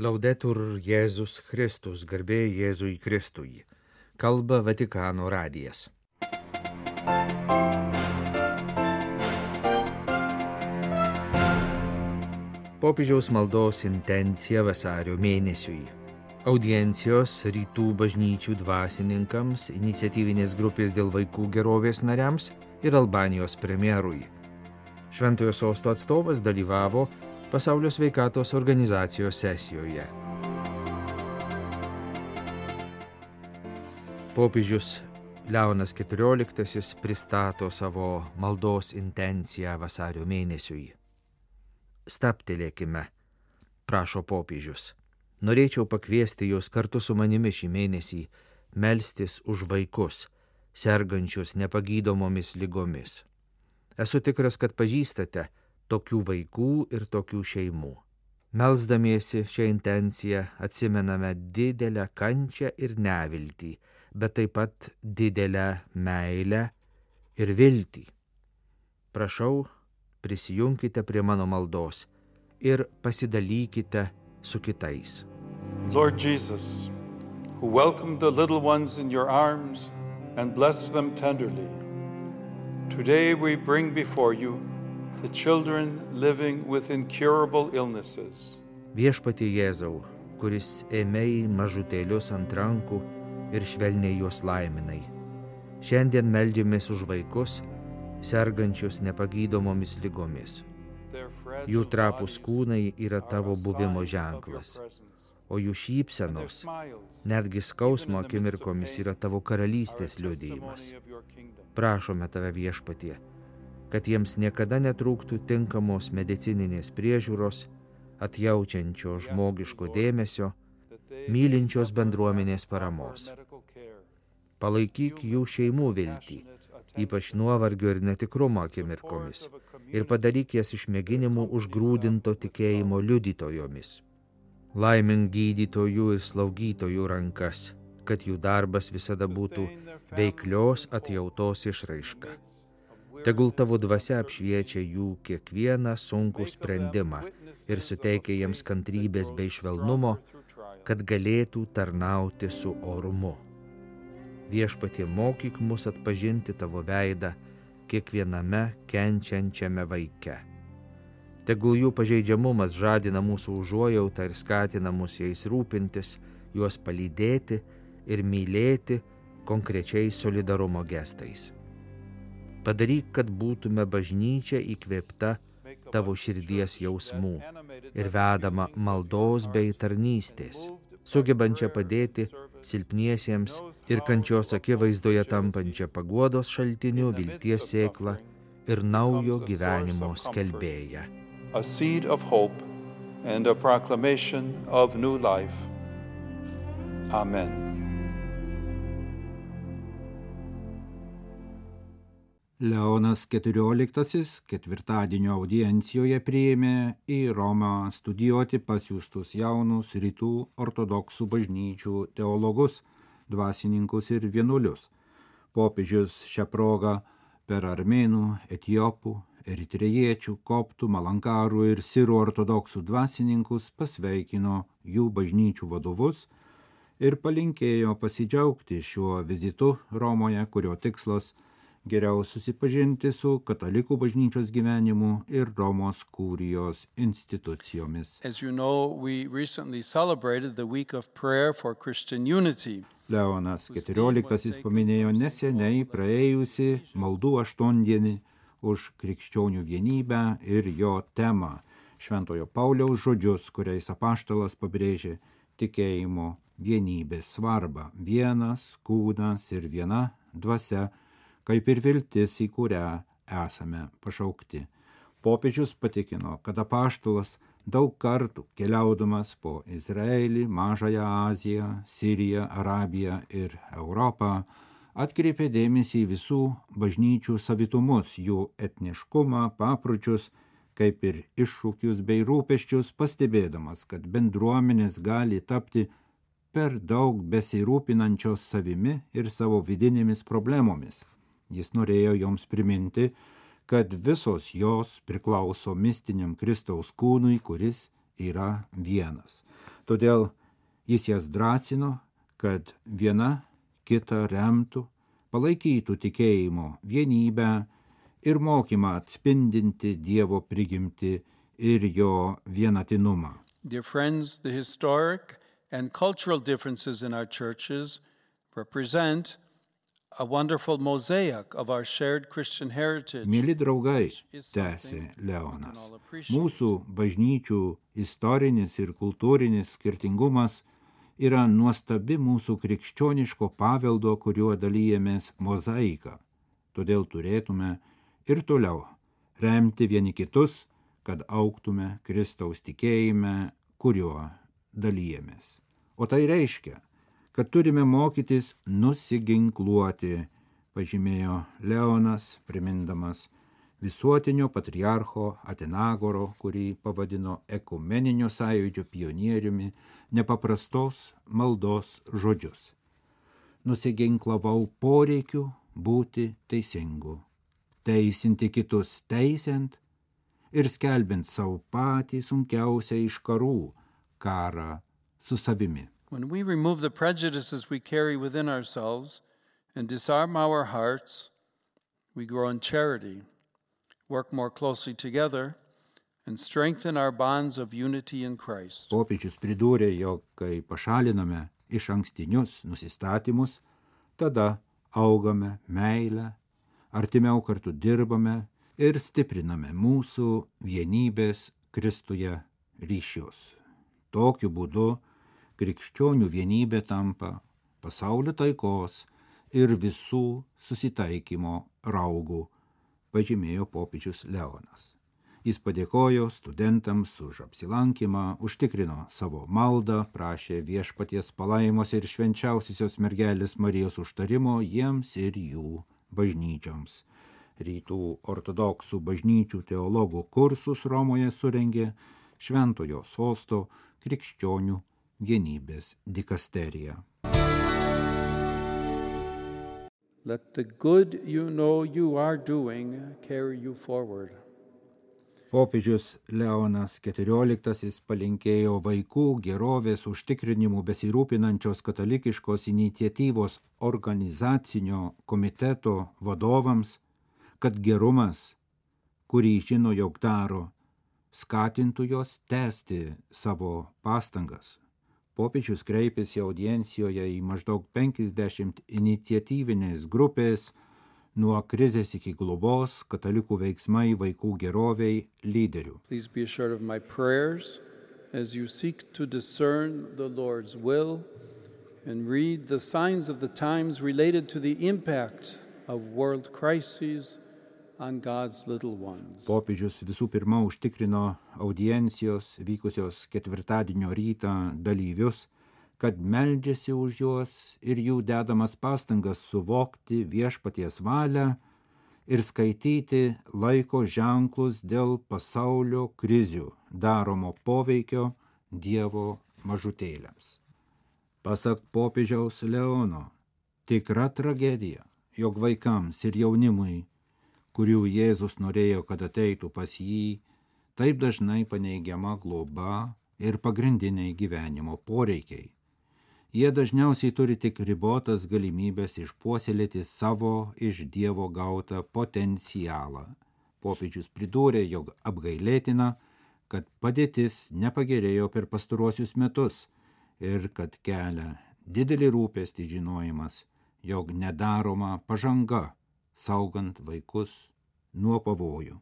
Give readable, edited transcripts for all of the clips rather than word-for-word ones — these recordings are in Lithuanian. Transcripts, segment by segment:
Laudetur Jėzus Kristus, garbė Jėzui Kristui. Kalba Vatikano radijas. Popiežiaus maldos intencija vasario mėnesiui. Audiencijos rytų bažnyčių dvasininkams, iniciatyvinės grupės dėl vaikų gerovės nariams ir Albanijos premjerui. Šventojo sosto atstovas dalyvavo Pasaulio sveikatos organizacijos sesijoje. Popiežius Leonas XIV pristato savo maldos intenciją vasario mėnesiui. Stabtelėkime, prašo popiežius. Norėčiau pakviesti jūs kartu su manimi šį mėnesį melstis už vaikus, sergančius nepagydomomis ligomis. Esu tikras, kad pažįstate tokių vaikų ir tokių šeimų. Melsdamiesi šią intenciją atsimename didelę kančią ir neviltį, bet taip pat didelę meilę ir viltį. Prašau, prisijunkite prie mano maldos ir pasidalykite su kitais. Lord Jesus, who welcomed the little ones in your arms and blessed them tenderly, today we bring before you the children living with incurable illnesses. Viešpatie Jėzau, kuris ėmei mažutėlius ant rankų ir švelniai juos laiminai. Šiandien meldžiamės už vaikus, sergančius nepagydomomis ligomis. Jų trapūs kūnai yra tavo buvimo ženklas, o jų šypsenos, netgi skausmo akimirkomis yra tavo karalystės liudijimas. Prašome tave, Viešpatie, kad jiems niekada netrūktų tinkamos medicininės priežiūros, atjaučiančio žmogiško dėmesio, mylinčios bendruomenės paramos. Palaikyk jų šeimų viltį, ypač nuovargio ir netikrumo akimirkomis, ir padaryk jas išmėginimų užgrūdinto tikėjimo liudytojomis. Laimink gydytojų ir slaugytojų rankas, kad jų darbas visada būtų veiklios atjautos išraiška. Tegul tavo dvasia apšviečia jų kiekvieną sunkų sprendimą ir suteikia jiems kantrybės bei švelnumo, kad galėtų tarnauti su orumu. Viešpatie, mokyk mus atpažinti tavo veidą kiekviename kenčiančiame vaike. Tegul jų pažeidžiamumas žadina mūsų užuojautą ir skatina mus jais rūpintis, juos palydėti ir mylėti konkrečiai solidarumo gestais. Padaryk, kad būtume bažnyčia įkvėpta tavo širdies jausmų ir vedama maldos bei tarnystės, sugebančia padėti silpniesiems ir kančios akivaizdoje tampančia paguodos šaltiniu, vilties sėklą ir naujo gyvenimo skelbėja. A seed of hope and a proclamation of new life. Amen. Leonas XIV ketvirtadienio audiencijoje priėmė į Romą studijuoti pasiųstus jaunus rytų ortodoksų bažnyčių teologus, dvasininkus ir vienuolius. Popiežius šią progą per armėnų, etiopų, eritrejiečių, koptų, malankarų ir sirų ortodoksų dvasininkus pasveikino jų bažnyčių vadovus ir palinkėjo pasidžiaugti šiuo vizitu Romoje, kurio tikslas geriau susipažinti su katalikų bažnyčios gyvenimu ir Romos kurijos institucijomis. As you know, we recently celebrated the week of prayer for Christian unity. Leonas XIV paminėjo neseniai praėjusi maldų aštuondienį už krikščionių vienybę ir jo temą, Šventojo Pauliaus žodžius, kuriais apaštalas pabrėžė tikėjimo vienybės svarbą. Vienas kūnas ir viena dvasia, kaip ir viltis, į kurią esame pašaukti. Popiežius patikino, kad apaštalas daug kartų keliaudamas po Izraelį, Mažąją Aziją, Siriją, Arabiją ir Europą atkreipė dėmesį į visų bažnyčių savitumus, jų etniškumą, papročius, kaip ir iššūkius bei rūpesčius, pastebėdamas, kad bendruomenės gali tapti per daug besirūpinančios savimi ir savo vidinėmis problemomis. Jis norėjo joms priminti, kad visos jos priklauso mistiniam Kristaus kūnui, kuris yra vienas. Todėl jis jas drąsino, kad viena kitą remtų, palaikytų tikėjimo vienybę ir mokymą atspindinti Dievo prigimtį ir jo vienatinumą. Dear friends, the historic and cultural differences in our churches represent a wonderful mosaic of our shared Christian heritage. Mėly draugai, tęsė Leonas, mūsų bažnyčių istorinis ir kultūrinis skirtingumas yra nuostabi mūsų krikščioniško paveldo, kuriuo dalyjamės mozaika. Todėl turėtume ir toliau remti vieni kitus, kad augtume Kristaus tikėjime, kuriuo dalyjamės. O tai reiškia, kad turime mokytis nusiginkluoti, pažymėjo Leonas, primindamas visuotinio patriarcho Atenagoro, kurį pavadino ekumeninio sąjūdžio pionieriumi, nepaprastos maldos žodžius. Nusiginklavau poreikiu būti teisingu, teisinti kitus teisiant ir skelbiant savo patį sunkiausią iš karų, karą su savimi. When we remove the prejudices we carry within ourselves and disarm our hearts, we grow in charity, work more closely together, and strengthen our bonds of unity in Christ. Popiežius pridūrė, jog kai pašaliname iš ankstinius nusistatymus, tada augame meilę, artimiau kartu dirbame ir stipriname mūsų vienybės Kristuje ryšius. Tokiu būdu krikščionių vienybė tampa pasaulio taikos ir visų susitaikymo raugų, pažymėjo popiežius Leonas. Jis padėkojo studentams už apsilankymą, užtikrino savo maldą, prašė viešpaties palaimos ir švenčiausiosios mergelės Marijos užtarimo jiems ir jų bažnyčioms. Rytų ortodoksų bažnyčių teologų kursus Romoje surengė Šventojo sosto krikščionių vienybės dikasterija. Let the good you know you are doing carry you forward. Popiežius Leonas XIV palinkėjo vaikų gerovės užtikrinimu besirūpinančios katalikiškos iniciatyvos organizacinio komiteto vadovams, kad gerumas, kurį žino, jog daro, skatintų jos tęsti savo pastangas. Popiežius kreipėsi audiencijoje į maždaug 50 iniciatyvinės grupės nuo krizės iki globos katalikų veiksmai vaikų geroviai lyderių. Please be assured of my prayers as you seek to discern the Lord's will and read the signs of the times related to the impact of world crises on God's little ones. Popiežius visų pirma užtikrino audiencijos vykusios ketvirtadienio rytą dalyvius, kad meldžiasi už juos ir jų dedamas pastangas suvokti viešpaties valią ir skaityti laiko ženklus dėl pasaulio krizių daromo poveikio Dievo mažutėliams. Pasak popiežiaus Leono, tikra tragedija, jog vaikams ir jaunimui, kurių Jėzus norėjo, kad ateitų pas jį, taip dažnai paneigiama globa ir pagrindiniai gyvenimo poreikiai. Jie dažniausiai turi tik ribotas galimybės išpuoselėti savo iš Dievo gautą potencialą. Popiežius pridūrė, jog apgailėtina, kad padėtis nepagerėjo per pastaruosius metus ir kad kelia didelį rūpestį žinojimas, jog nedaroma pažanga, saugant vaikus nuo pavojų.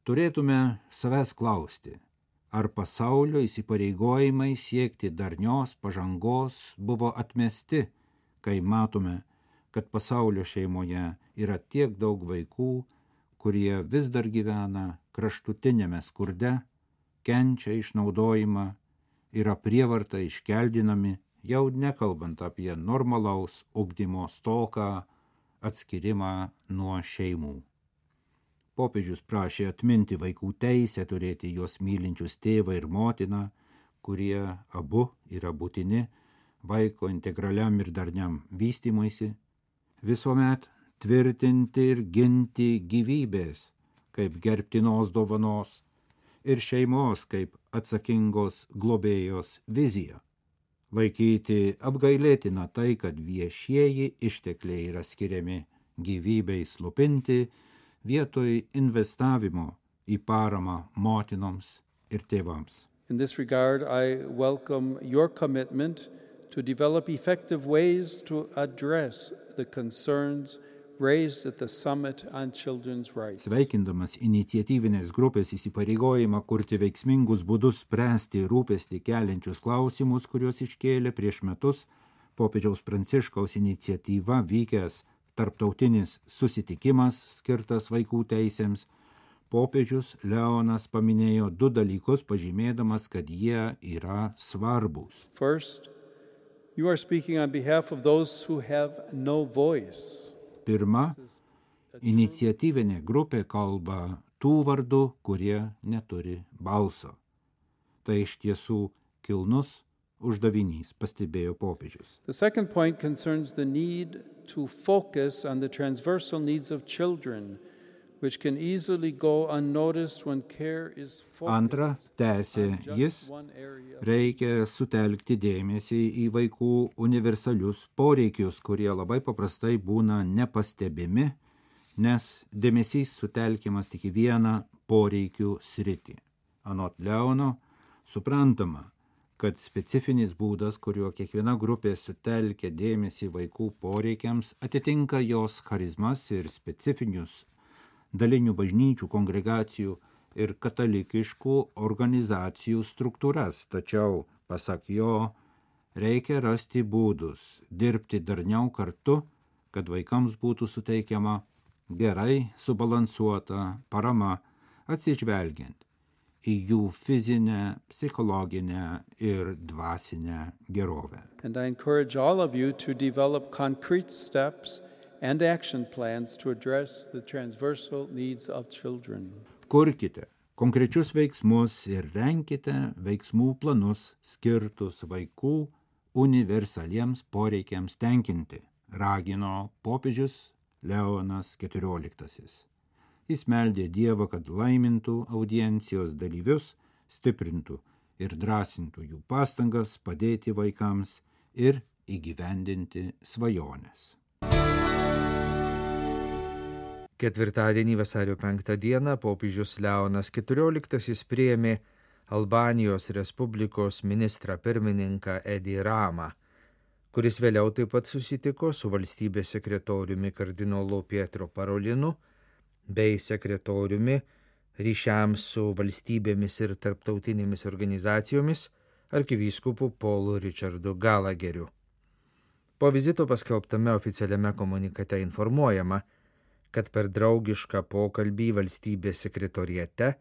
Turėtume savęs klausti, ar pasaulio įsipareigojimai siekti darnios pažangos buvo atmesti, kai matome, kad pasaulio šeimoje yra tiek daug vaikų, kurie vis dar gyvena kraštutinėme skurde, kenčia išnaudojimą, yra prievarta iškeldinami, jau nekalbant apie normalaus ugdymo stoką, atskirimą nuo šeimų. Popiežius prašė atminti vaikų teisę turėti juos mylinčius tėvą ir motiną, kurie abu yra būtini vaiko integraliam ir darniam vystymuisi, visuomet tvirtinti ir ginti gyvybės kaip gerbtinos dovanos ir šeimos kaip atsakingos globėjos vizija. Laikyti apgailėtina tai, kad viešieji ištekliai yra skiriami gyvybei slopinti vietoj investavimo į paramą motinoms ir tėvams. In this regard, I welcome your commitment to develop effective ways to address the concerns raised at the Summit on Children's Rights. Sveikindamas iniciatyvinės grupės įsipareigojimą kurti veiksmingus būdus spręsti rūpestį keliančius klausimus, kuriuos iškėlė prieš metus popiežiaus Pranciškaus iniciatyva vykęs tarptautinis susitikimas skirtas vaikų teisėms, popiežius Leonas paminėjo 2 dalykus, pažymėdamas, kad jie yra svarbūs. First, you are speaking on behalf of those who have no voice. Pirma, iniciatyvinė grupė kalba tų vardų, kurie neturi balso. Tai iš tiesų kilnus uždavinys, pastebėjo popiežius. The second point concerns the need to focus on the transversal needs of children, which can easily go unnoticed when care is focused. Antra, tęsė jis, reikia sutelkti dėmesį į vaikų universalius poreikius, kurie labai paprastai būna nepastebimi, nes dėmesys sutelkiamas tik į vieną poreikių sritį. Anot Leono, suprantama, kad specifinis būdas, kuriuo kiekviena grupė sutelkia dėmesį vaikų poreikiams, atitinka jos charizmas ir specifinius dalinių bažnyčių, kongregacijų ir katalikiškų organizacijų struktūras. Tačiau, pasak jo, reikia rasti būdus, dirbti darniau kartu, kad vaikams būtų suteikiama gerai subalansuota parama, atsižvelgiant į jų fizinę, psichologinę ir dvasinę gerovę. And I encourage all of you to develop concrete steps and action plans to address the transversal needs of children. Kurkite konkrečius veiksmus ir renkite veiksmų planus skirtus vaikų universaliems poreikiams tenkinti, ragino popiežius Leonas XIV. Jis meldė Dievą, kad laimintų audiencijos dalyvius, stiprintų ir drąsintų jų pastangas padėti vaikams ir įgyvendinti svajones. Ketvirtadienį vasario 5 dieną popiežius Leonas XIV priėmė Albanijos Respublikos ministrą pirmininką Edi Ramą, kuris vėliau taip pat susitiko su valstybės sekretoriumi kardinolu Pietro Parolinu bei sekretoriumi ryšiams su valstybėmis ir tarptautinėmis organizacijomis arkivyskupu Paulu Richardu Gallagheriu. Po vizito paskelbtame oficialiame komunikate informuojama, kad per draugišką pokalbį valstybės sekretoriate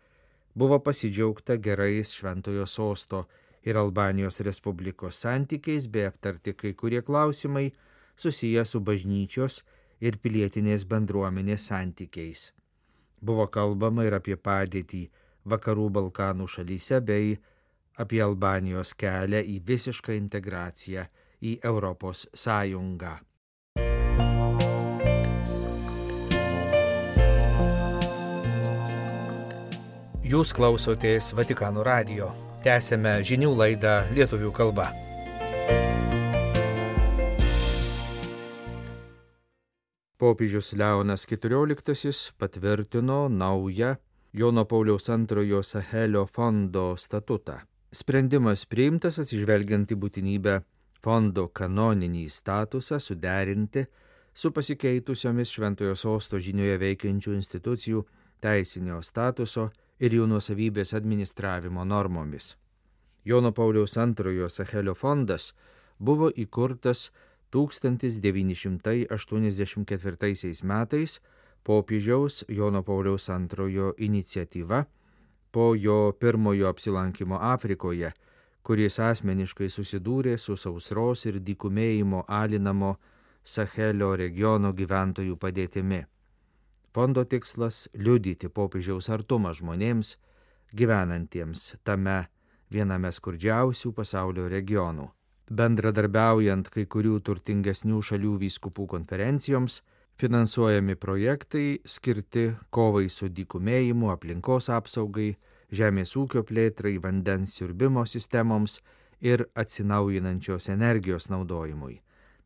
buvo pasidžiaugta gerais Šventojo Sosto ir Albanijos Respublikos santykiais bei aptarti kai kurie klausimai susiję su bažnyčios ir pilietinės bendruomenės santykiais. Buvo kalbama ir apie padėtį Vakarų Balkanų šalyse bei apie Albanijos kelią į visišką integraciją į Europos Sąjungą. Jūs klausotės Vatikano radijo. Tęsėme žinių laidą lietuvių kalba. Popiežius Leonas XIV patvirtino naują Jono Pauliaus II Sahelio fondo statutą. Sprendimas priimtas atsižvelgiant į būtinybę fondo kanoninį statusą suderinti su pasikeitusiomis Šventojo Sosto žinioje veikiančių institucijų teisinio statuso ir jų nuosavybės administravimo normomis. Jono Pauliaus II Sahelio fondas buvo įkurtas 1984 metais popiežiaus Jono Pauliaus II iniciatyva po jo pirmojo apsilankimo Afrikoje, kuris asmeniškai susidūrė su sausros ir dykumėjimo alinamo Sahelio regiono gyventojų padėtimi. Fondo tikslas – liudyti popiežiaus artumą žmonėms, gyvenantiems tame viename skurdžiausių pasaulio regionų. Bendradarbiaujant kai kurių turtingesnių šalių vyskupų konferencijoms, finansuojami projektai skirti kovai su dykumėjimu, aplinkos apsaugai, žemės ūkio plėtrai, vandens siurbimo sistemoms ir atsinaujinančios energijos naudojimui.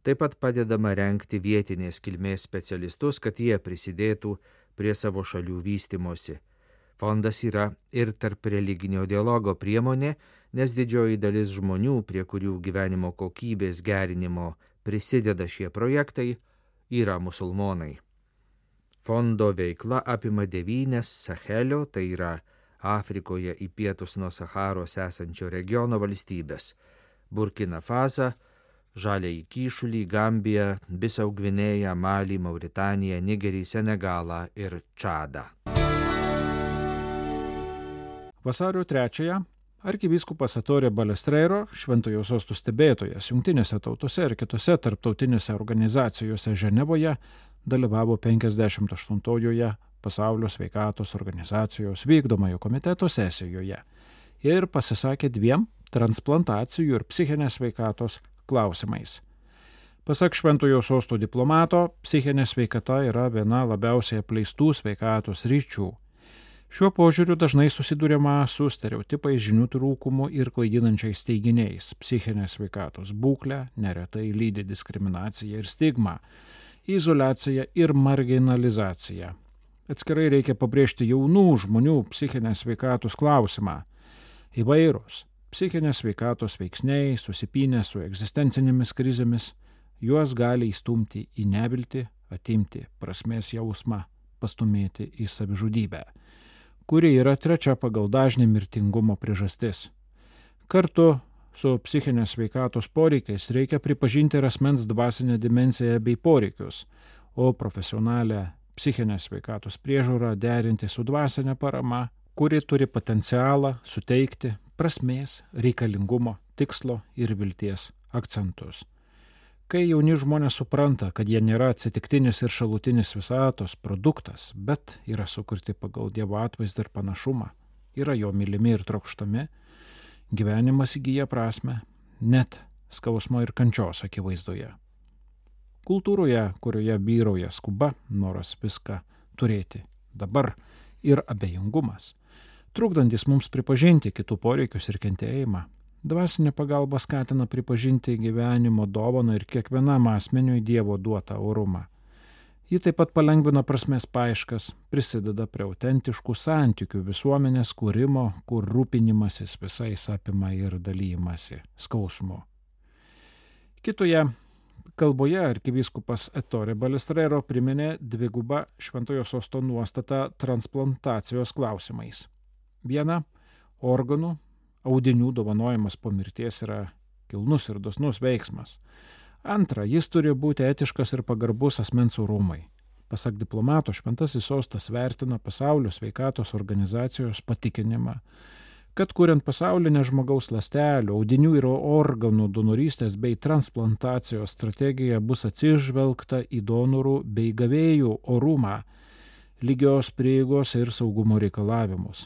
Taip pat padedama renkti vietinės kilmės specialistus, kad jie prisidėtų prie savo šalių vystimosi. Fondas yra ir tarp religinio dialogo priemonė, nes didžioji dalis žmonių, prie kurių gyvenimo kokybės gerinimo prisideda šie projektai, yra musulmonai. Fondo veikla apima 9 Sahelio, tai yra Afrikoje į pietus nuo Saharos esančio regiono valstybės – Burkina Fasą, Žaliąjį Kyšulį, Gambiją, Bisau Gvinėją, Malį, Mauritaniją, Nigerį, Senegalą ir Čadą. Vasario 3-ąją arkivyskupas Ettore Balestrero, Šventojo Sosto stebėtojas Jungtinėse tautose ir kitose tarptautinėse organizacijose Ženevoje, dalyvavo 58-ojoje Pasaulio sveikatos organizacijos vykdomojo komiteto sesijoje ir pasisakė 2 transplantacijų ir psichinės sveikatos klausimais. Pasak Šventojo Sosto diplomato, psichinė sveikata yra viena labiausiai apleistų sveikatos sričių. Šiuo požiūriu dažnai susiduriama su stereotipais, žinių trūkumu ir klaidinančiais teiginiais. Psichinė sveikatos būklė neretai lydi diskriminacija ir stigma, izoliacija ir marginalizacija. Atskirai reikia pabrėžti jaunų žmonių psichinės sveikatos klausimą. Įvairūs psichinės sveikatos veiksniai susipynę su egzistencinėmis krizėmis, juos gali įstumti į neviltį, atimti prasmės jausmą, pastumėti į savižudybę, kuri yra 3 pagal dažnį mirtingumo priežastis. Kartu su psichinės sveikatos poreikiais reikia pripažinti ir asmens dvasinę dimensiją bei poreikius, o profesionalią psichinės sveikatos priežiūrą derinti su dvasinė parama, kuri turi potencialą suteikti prasmės, reikalingumo, tikslo ir vilties akcentus. Kai jauni žmonės supranta, kad jie nėra atsitiktinis ir šalutinis visatos produktas, bet yra sukurti pagal Dievo atvaizdą ir panašumą, yra jo mylimi ir trokštami, gyvenimas įgyja prasmę, net skausmo ir kančios akivaizdoje. Kultūroje, kurioje vyrauja skuba, noras viską turėti dabar ir abejingumas, trukdantis mums pripažinti kitų poreikius ir kentėjimą, dvasinė pagalba skatina pripažinti gyvenimo dovaną ir kiekvienam asmeniui Dievo duotą orumą. Ji taip pat palengvina prasmės paieškas, prisideda prie autentiškų santykių visuomenės kūrimo, kur rūpinimasis visais apima ir dalyjimasi skausmu. Kitoje kalboje arkivyskupas Ettore Balestrero priminė 2 Šventojo Sosto nuostatą transplantacijos klausimais. 1. Organų, audinių dovanojimas po mirties yra kilnus ir dosnus veiksmas. 2. Jis turi būti etiškas ir pagarbus asmens orumui. Pasak diplomato, Šventasis Sostas vertina Pasaulio sveikatos organizacijos patikinimą, kad kuriant pasaulinę žmogaus ląstelių, audinių ir organų donorystės bei transplantacijos strategiją bus atsižvelgta į donorų bei gavėjų orumą, lygios prieigos ir saugumo reikalavimus.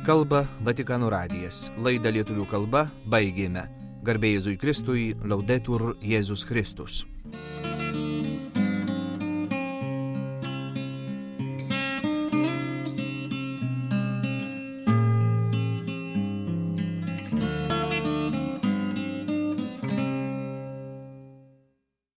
Kalba Vatikano radijas. Laidą lietuvių kalba baigėme. Garbė Jėzui Kristui, Laudetur Jėzus Kristus.